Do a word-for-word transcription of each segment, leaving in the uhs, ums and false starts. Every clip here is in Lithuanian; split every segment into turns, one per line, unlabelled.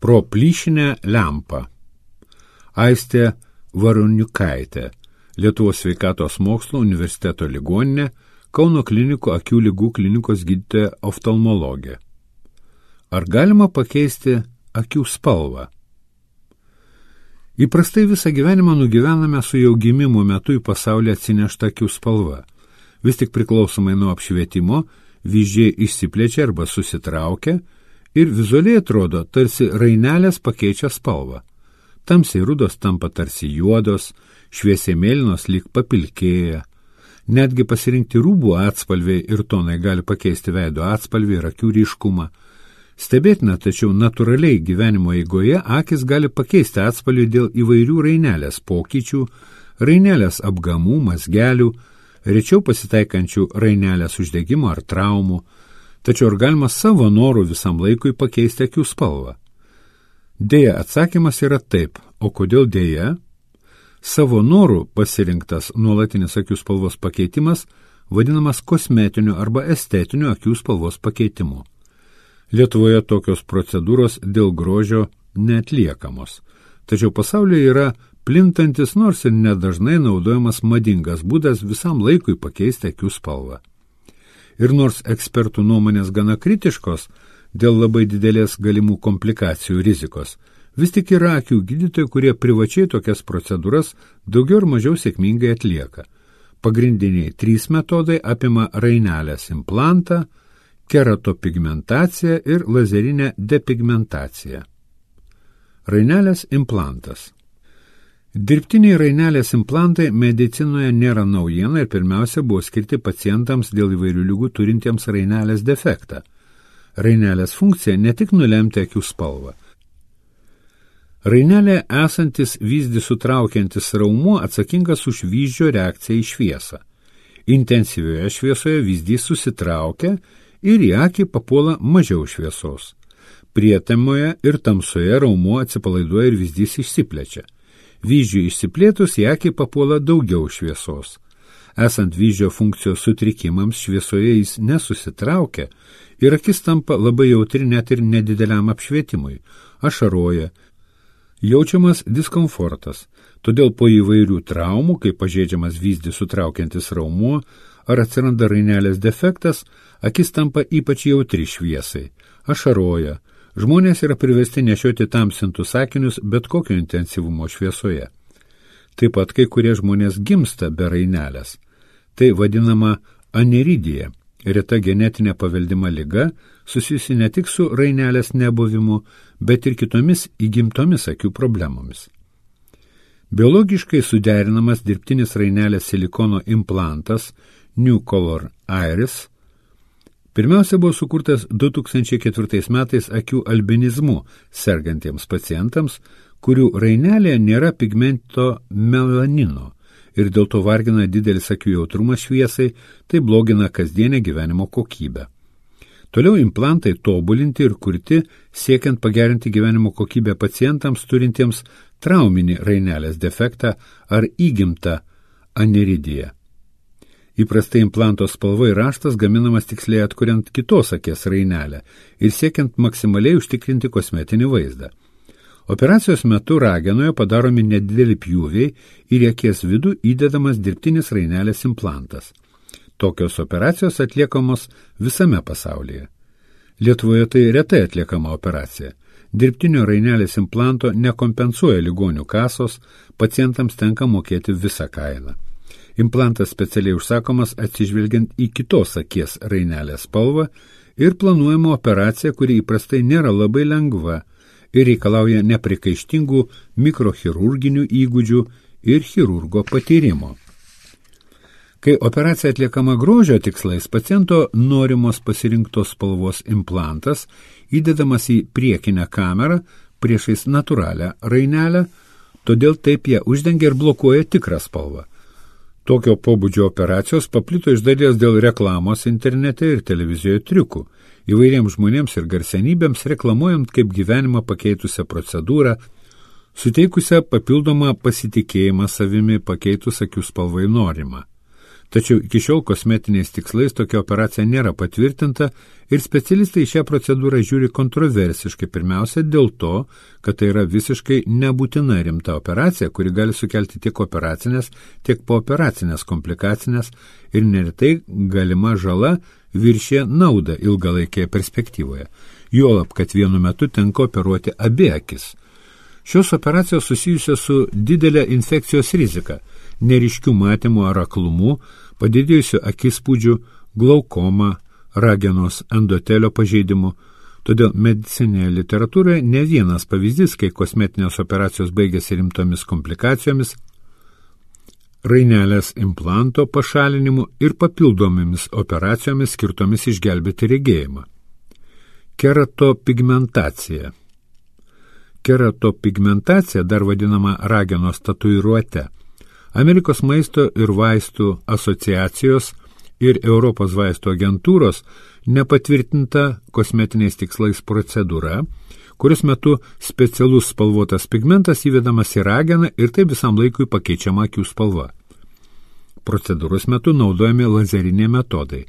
Pro plyšinę lempą. Aistė Varoniukaitė, Lietuvos sveikatos mokslo universiteto ligoninė, Kauno klinikų akių ligų klinikos gydytoja oftalmologė. Ar galima pakeisti akių spalvą? Įprastai visą gyvenimą nugyvename su jau gimimo metu į pasaulį atsinešta akių spalva. Vis tik priklausomai nuo apšvietimo, vyzdžiai išsiplečia arba susitraukia ir vizualiai atrodo, tarsi rainelės pakeičia spalvą. Tamsiai rudos tampa tarsi juodos, šviesiai mėlynos lyg papilkėja. Netgi pasirinkti rūbų atspalviai ir tonai gali pakeisti veido atspalvį ir akių ryškumą. Stebėtina, tačiau natūraliai gyvenimo eigoje akis gali pakeisti atspalvį dėl įvairių rainelės pokyčių, rainelės apgamų, mazgelių, rečiau pasitaikančių rainelės uždegimo ar traumų, tačiau ar galima savo norų visam laikui pakeisti akių spalvą? Deja, atsakymas yra taip, o kodėl deja? Savo norų pasirinktas nuolatinis akių spalvos pakeitimas vadinamas kosmetiniu arba estetiniu akių spalvos pakeitimu. Lietuvoje tokios procedūros dėl grožio neatliekamos, tačiau pasaulyje yra plintantis nors ir nedažnai naudojamas madingas būdas visam laikui pakeisti akių spalvą. Ir nors ekspertų nuomonės gana kritiškos dėl labai didelės galimų komplikacijų rizikos, vis tik yra akių gydytojai, kurie privačiai tokias procedūras daugiau ir mažiau sėkmingai atlieka. Pagrindiniai trys metodai apima rainelės implantą, keratopigmentaciją ir lazerinę depigmentaciją. Rainelės implantas. Dirbtiniai rainelės implantai medicinoje nėra naujiena ir pirmiausia buvo skirti pacientams dėl įvairių ligų turintiems rainelės defektą. Rainelės funkcija ne tik nulemti akių spalvą. Rainelė esantis vyzdį sutraukiantis raumuo atsakingas už vyzdžio reakciją į šviesą. Intensyvioje šviesoje vyzdys susitraukia ir į akį papuola mažiau šviesos. Prietemoje ir tamsoje raumuo atsipalaiduoja ir vyzdys išsiplečia. Vyzdžiui išsiplėtus į akį papuola daugiau šviesos. Esant vyzdžio funkcijos sutrikimams šviesoje jis nesusitraukia ir akis tampa labai jautri net ir nedideliam apšvietimui, ašaroja, jaučiamas diskomfortas, todėl po įvairių traumų, kai pažeidžiamas vyzdį sutraukiantis raumuo ar atsiranda rainelės defektas, akis tampa ypač jautri šviesai, ašaroja, žmonės yra priversti nešioti tamsintus akinius bet kokio intensyvumo šviesoje. Taip pat kai kurie žmonės gimsta be rainelės. Tai vadinama aneridija, reta genetinė paveldima liga, susijusi ne tik su rainelės nebuvimu, bet ir kitomis įgimtomis akių problemomis. Biologiškai suderinamas dirbtinis rainelės silikono implantas New Color Iris pirmiausia buvo sukurtas du tūkstančiai ketvirtais metais akių albinizmu sergantiems pacientams, kurių rainelėje nėra pigmento melanino ir dėl to vargina didelis akių jautrumas šviesai, tai blogina kasdienę gyvenimo kokybę. Toliau implantai tobulinti ir kurti, siekiant pagerinti gyvenimo kokybę pacientams turintiems trauminį rainelės defektą ar įgimtą aneridiją. Įprastai implanto spalva ir raštas gaminamas tiksliai atkuriant kitos akies rainelę ir siekiant maksimaliai užtikrinti kosmetinį vaizdą. Operacijos metu ragenoje padaromi nedideli pjūviai ir į akies vidų įdedamas dirbtinis rainelės implantas. Tokios operacijos atliekamos visame pasaulyje. Lietuvoje tai retai atliekama operacija. Dirbtinio rainelės implanto nekompensuoja ligonių kasos, pacientams tenka mokėti visą kainą. Implantas specialiai užsakomas atsižvelgiant į kitos akies rainelės spalvą ir planuojama operacija, kuri įprastai nėra labai lengva ir reikalauja neprikaištingų mikrochirurginių įgūdžių ir chirurgo patyrimo. Kai operacija atliekama grožio tikslais, paciento norimos pasirinktos spalvos implantas įdedamas į priekinę kamerą priešais natūralią rainelę, todėl taip ją uždengia ir blokuoja tikrą spalvą. Tokio pobūdžio operacijos paplito iš dalies dėl reklamos internete ir televizijoje triukų, įvairiems žmonėms ir garsenybėms reklamuojant kaip gyvenimą pakeitusią procedūrą, suteikusią papildomą pasitikėjimą savimi pakeitus akių spalvai norimą. Tačiau iki šiol kosmetiniais tikslais tokia operacija nėra patvirtinta ir specialistai šią procedūrą žiūri kontroversiškai, pirmiausia dėl to, kad tai yra visiškai nebūtina rimta operacija, kuri gali sukelti tiek operacinės, tiek pooperacinės komplikacinės ir neretai galima žala viršė naudą ilgalaikėje perspektyvoje. Juolab, kad vienu metu tenka operuoti abi akis. Šios operacijos susijusios su didelė infekcijos rizika, neriškių matymų ar aklumu, padidėjusių akispūdžių, glaukoma, ragenos endotelio pažeidimu. Todėl medicinėje literatūroje ne vienas pavyzdys, kai kosmetinės operacijos baigėsi rimtomis komplikacijomis, rainelės implanto pašalinimu ir papildomomis operacijomis skirtomis išgelbėti regėjimą. Keratopigmentacija. Keratopigmentacija, dar vadinama ragenos tatuiruote, Amerikos maisto ir vaistų asociacijos ir Europos vaistų agentūros nepatvirtinta kosmetiniais tikslais procedūra, kurios metu specialus spalvotas pigmentas įvedamas į rageną ir taip visam laikui pakeičiama akių spalva. Procedūros metu naudojami lazeriniai metodai.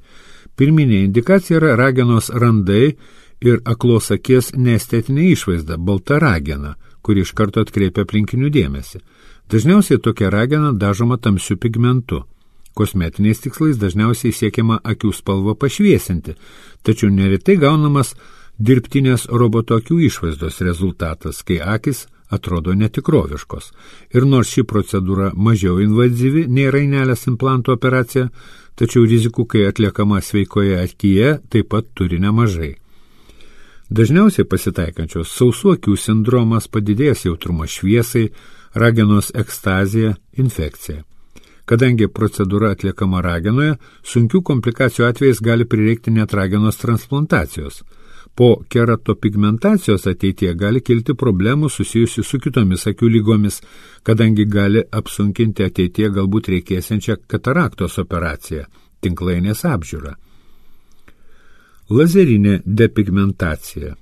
Pirminė indikacija yra ragenos randai ir aklos akies neestetinė išvaizda, balta ragena, kuri iš karto atkreipia aplinkinių dėmesį. Dažniausiai tokia ragena dažoma tamsiu pigmentu. Kosmetiniais tikslais dažniausiai siekiama akių spalvą pašviesinti, tačiau neretai gaunamas dirbtinės roboto akių išvaizdos rezultatas, kai akis atrodo netikroviškos. Ir nors ši procedūra mažiau invazyvi nei rainelės implanto operacija, tačiau rizikų, kai atliekama sveikoje akyje, taip pat turi nemažai. Dažniausiai pasitaikančios sausų akių sindromas, padidėjęs jautrumas šviesai, ragenos ekstazija, infekcija. Kadangi procedūra atliekama ragenoje, sunkių komplikacijų atvejais gali prireikti net ragenos transplantacijos. Po keratopigmentacijos ateityje gali kilti problemų susijusių su kitomis akių lygomis, kadangi gali apsunkinti ateityje galbūt reikėsiančią kataraktos operaciją, tinklainės apžiūrą. Lazerinė depigmentacija.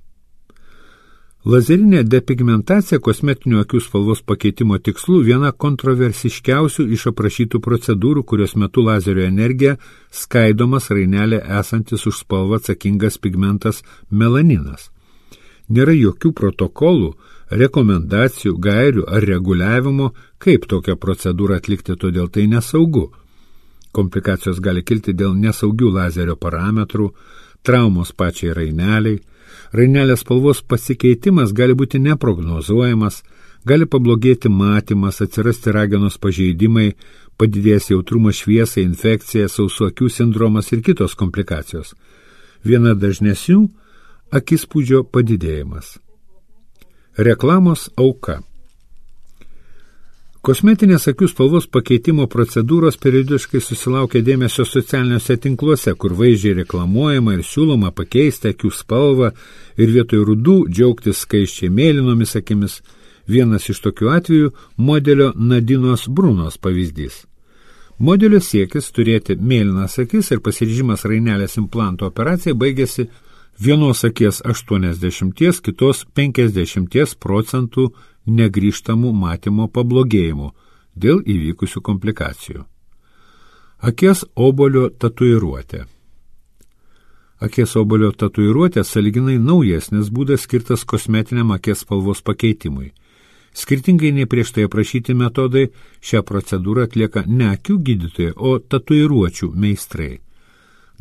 Lazerinė depigmentacija kosmetinių akių spalvos pakeitimo tikslų viena kontroversiškiausių iš aprašytų procedūrų, kurios metu lazerio energija skaidomas rainelė esantis už spalvą atsakingas pigmentas melaninas. Nėra jokių protokolų, rekomendacijų, gairių ar reguliavimo, kaip tokią procedūrą atlikti, todėl tai nesaugu. Komplikacijos gali kilti dėl nesaugių lazerio parametrų, traumos pačiai raineliai. Rainelės spalvos pasikeitimas gali būti neprognozuojamas, gali pablogėti matymas, atsirasti ragenos pažeidimai, padidės jautrumas šviesai, infekcija, sausų akių sindromas ir kitos komplikacijos. Viena dažnesnių – akispūdžio padidėjimas. Reklamos auka. Kosmetinės akių spalvos pakeitimo procedūros periodiškai susilaukia dėmesio socialiniuose tinkluose, kur vaizdžiai reklamuojama ir siūloma pakeisti akių spalvą ir vietoj rudų džiaugtis skaisčiai mėlynomis akimis. Vienas iš tokių atvejų – modelio Nadinos Brunos pavyzdys. Modelio siekis turėti mėlynas akis ir pasiryžimas rainelės implanto operacijai baigėsi vienos akies aštuoniasdešimties, kitos penkiasdešimties procentų negrįžtamų matymo pablogėjimų dėl įvykusių komplikacijų. Akies obolio tatuiruotė. Akies obolio tatuiruotė sąlyginai naujesnis būdas skirtas kosmetiniam akies spalvos pakeitimui. Skirtingai nei prieš tai aprašyti metodai, šią procedūrą atlieka ne akių gydytojai, o tatuiruočių meistrai.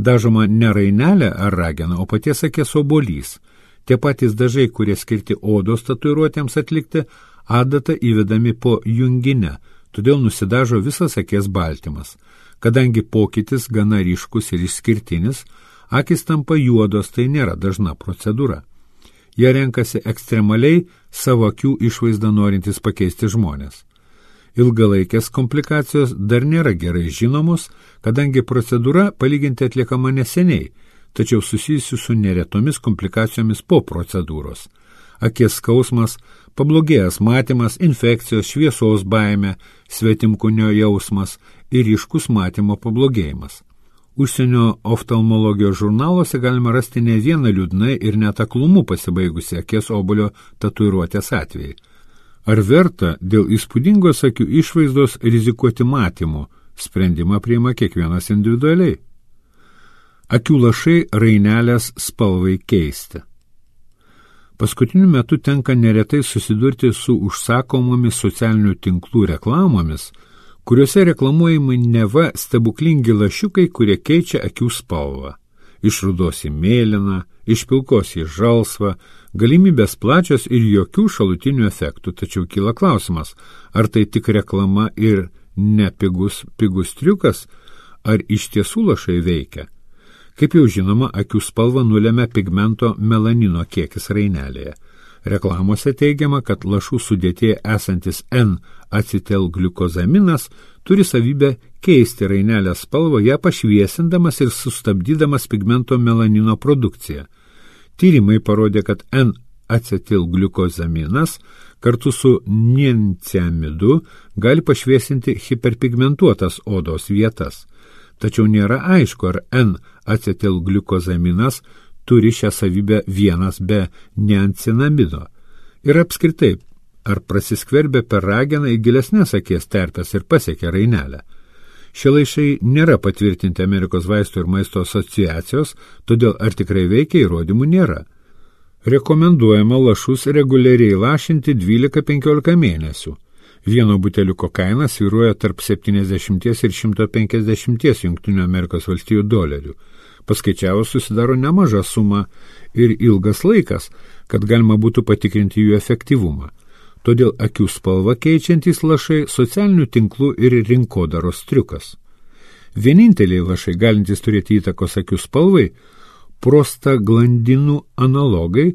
Dažoma ne rainelė ar ragena, o paties akies obolys. Tie patys dažai, kurie skirti odos tatuiruotėms atlikti, adatą įvedami po junginę, todėl nusidažo visas akies baltymas. Kadangi pokytis gana ryškus ir išskirtinis, akis tampa juodos, tai nėra dažna procedūra. Jie renkasi ekstremaliai savo akių išvaizdą norintys pakeisti žmonės. Ilgalaikės komplikacijos dar nėra gerai žinomos, kadangi procedūra palyginti atliekama neseniai, tačiau susijusi su neretomis komplikacijomis po procedūros. Akies skausmas, pablogėjęs matymas, infekcijos, šviesos baimė, svetimkūnio jausmas ir ryškus matymo pablogėjimas. Užsienio oftalmologijos žurnaluose galima rasti ne vieną liūdnai ir net aklumu pasibaigusi akies obolio tatuiruotės atvejai. Ar verta dėl įspūdingos akių išvaizdos rizikuoti matymu, Sprendimą priima kiekvienas individualiai. Akių lašai rainelės spalvai keisti. Paskutiniu metu tenka neretai susidurti su užsakomomis socialinių tinklų reklamomis, kuriuose reklamuojami neva stebuklingi lašiukai, kurie keičia akių spalvą. Iš rudos į mėlyną, iš pilkos į žalsvą, galimybės plačios ir jokių šalutinių efektų. Tačiau kyla klausimas, ar tai tik reklama ir ne pigus, pigus triukas, ar iš tiesų lašai veikia. Kaip jau žinoma, akių spalvą nulemia pigmento melanino kiekis rainelėje. Reklamose teigiama, kad lašų sudėtyje esantis N-acetilgliukozaminas turi savybę keisti rainelės spalvą, ją pašviesindamas ir sustabdydamas pigmento melanino produkciją. Tyrimai parodė, kad N-acetilgliukozaminas kartu su niacinamidu gali pašviesinti hiperpigmentuotas odos vietas. Tačiau nėra aišku, ar N-acetilgliukozaminas turi šią savybę vienas be niacinamido. Ir apskritai, ar prasiskverbia per rageną į gilesnės akies terpes ir pasiekia rainelę. Šie laišai nėra patvirtinti Amerikos vaistų ir maisto asociacijos, todėl ar tikrai veikia įrodymų nėra. Rekomenduojama lašus reguliariai lašinti dvylika penkiolika mėnesių. Vieno buteliuko kaina svyruoja tarp septyniasdešimt ir šimto penkiasdešimt Jungtinių Amerikos valstijų dolerių. Paskaičiavus susidaro nemaža suma ir ilgas laikas, kad galima būtų patikrinti jų efektyvumą. Todėl akių spalva keičiantys lašai socialinių tinklų ir rinkodaros triukas. Vieninteliai lašai galintys turėti įtakos akių spalvai – prostaglandinų analogai,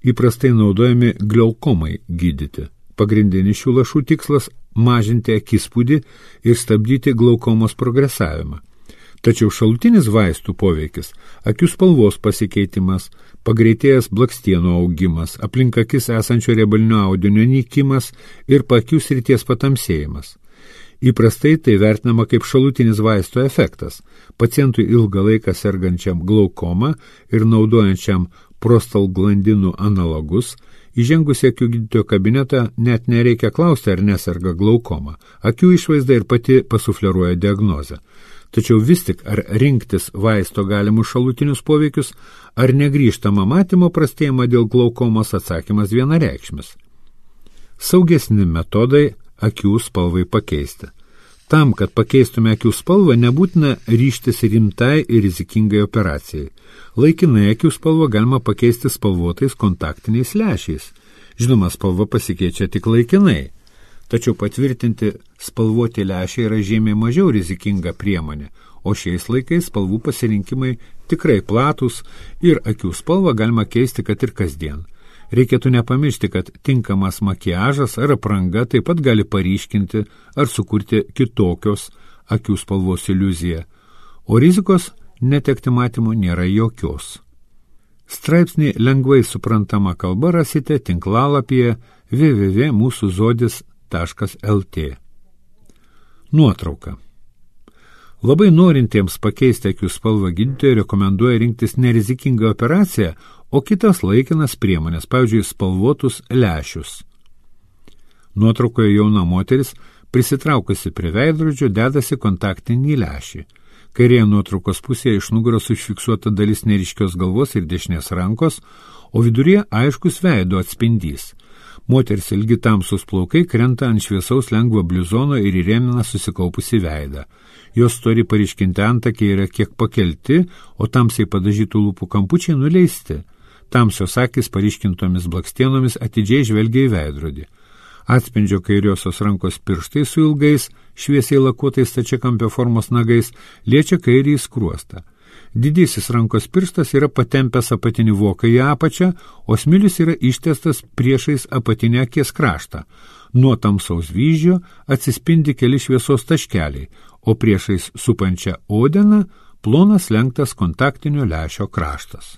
įprastai naudojami glaukomai gydyti. Pagrindinis šių lašų tikslas – mažinti akispūdį ir stabdyti glaukomos progresavimą. Tačiau šalutinis vaistų poveikis – akių spalvos pasikeitimas, pagreitėjęs blakstienų augimas, aplink akis esančio riebalinio audinio nykimas ir paakių srities patamsėjimas. Įprastai tai vertinama kaip šalutinis vaisto efektas. Pacientui ilgą laiką sergančiam glaukoma ir naudojančiam prostaglandinų analogus, įžengus į akių gydytojo kabinetą net nereikia klausti, ar neserga glaukoma. Akių išvaizda ir pati pasufleruoja diagnozę. Tačiau vis tik, ar rinktis vaisto galimus šalutinius poveikius, ar negrįžtama matymo prastėjimą dėl glaukomos, atsakymas vienareikšmis. Saugesni metodai akių spalvai pakeisti. Tam, kad pakeistume akių spalvą, nebūtina ryžtis rimtai ir rizikingai operacijai. Laikinai akių spalvą galima pakeisti spalvotais kontaktiniais lęšiais. Žinoma, spalva pasikeičia tik laikinai. Tačiau patvirtinti spalvoti lęšiai yra žymiai mažiau rizikinga priemonė, o šiais laikais spalvų pasirinkimai tikrai platus ir akių spalvą galima keisti kad ir kasdien. Reikėtų nepamiršti, kad tinkamas makiažas ar apranga taip pat gali paryškinti ar sukurti kitokios akių spalvos iliuziją, o rizikos netekti matymo nėra jokios. Straipsnį lengvai suprantama kalba rasite tinklalapyje w w w taškas mūsų zodis taškas l t. Nuotrauka. Labai norintiems pakeisti akių spalvą gydytojai rekomenduoja rinktis nerizikingą operaciją, o kitas laikinas priemonės, pavyzdžiui, spalvotus lęšius. Nuotraukoje jauna moteris, prisitraukusi prie veidrodžio, dedasi kontaktinį lęšį. Kairėje nuotraukos pusėje iš nugaros užfiksuota dalis neryškios galvos ir dešinės rankos, o viduryje aiškus veido atspindys. Moters ilgi tamsus plaukai krenta ant šviesaus lengvo bliuzono ir įrėmina susikaupusi veidą. Jos stori paryškinti antakiai yra kiek pakelti, o tamsiai padažytų lūpų kampučiai nuleisti. Tamsios akys paryškintomis blakstienomis atidžiai žvelgia į veidrodį. Atspindžio kairiosios rankos pirštai su ilgais, šviesiai lakuotais stačiakampio formos nagais liečia kairį skruostą. Didysis rankos pirštas yra patempęs apatinį voką į apačią, o smilius yra ištiestas priešais apatinę akies kraštą. Nuo tamsaus vyzdžio atsispindi keli šviesos taškeliai, o priešais supančią odeną plonas lenktas kontaktinio lęšio kraštas.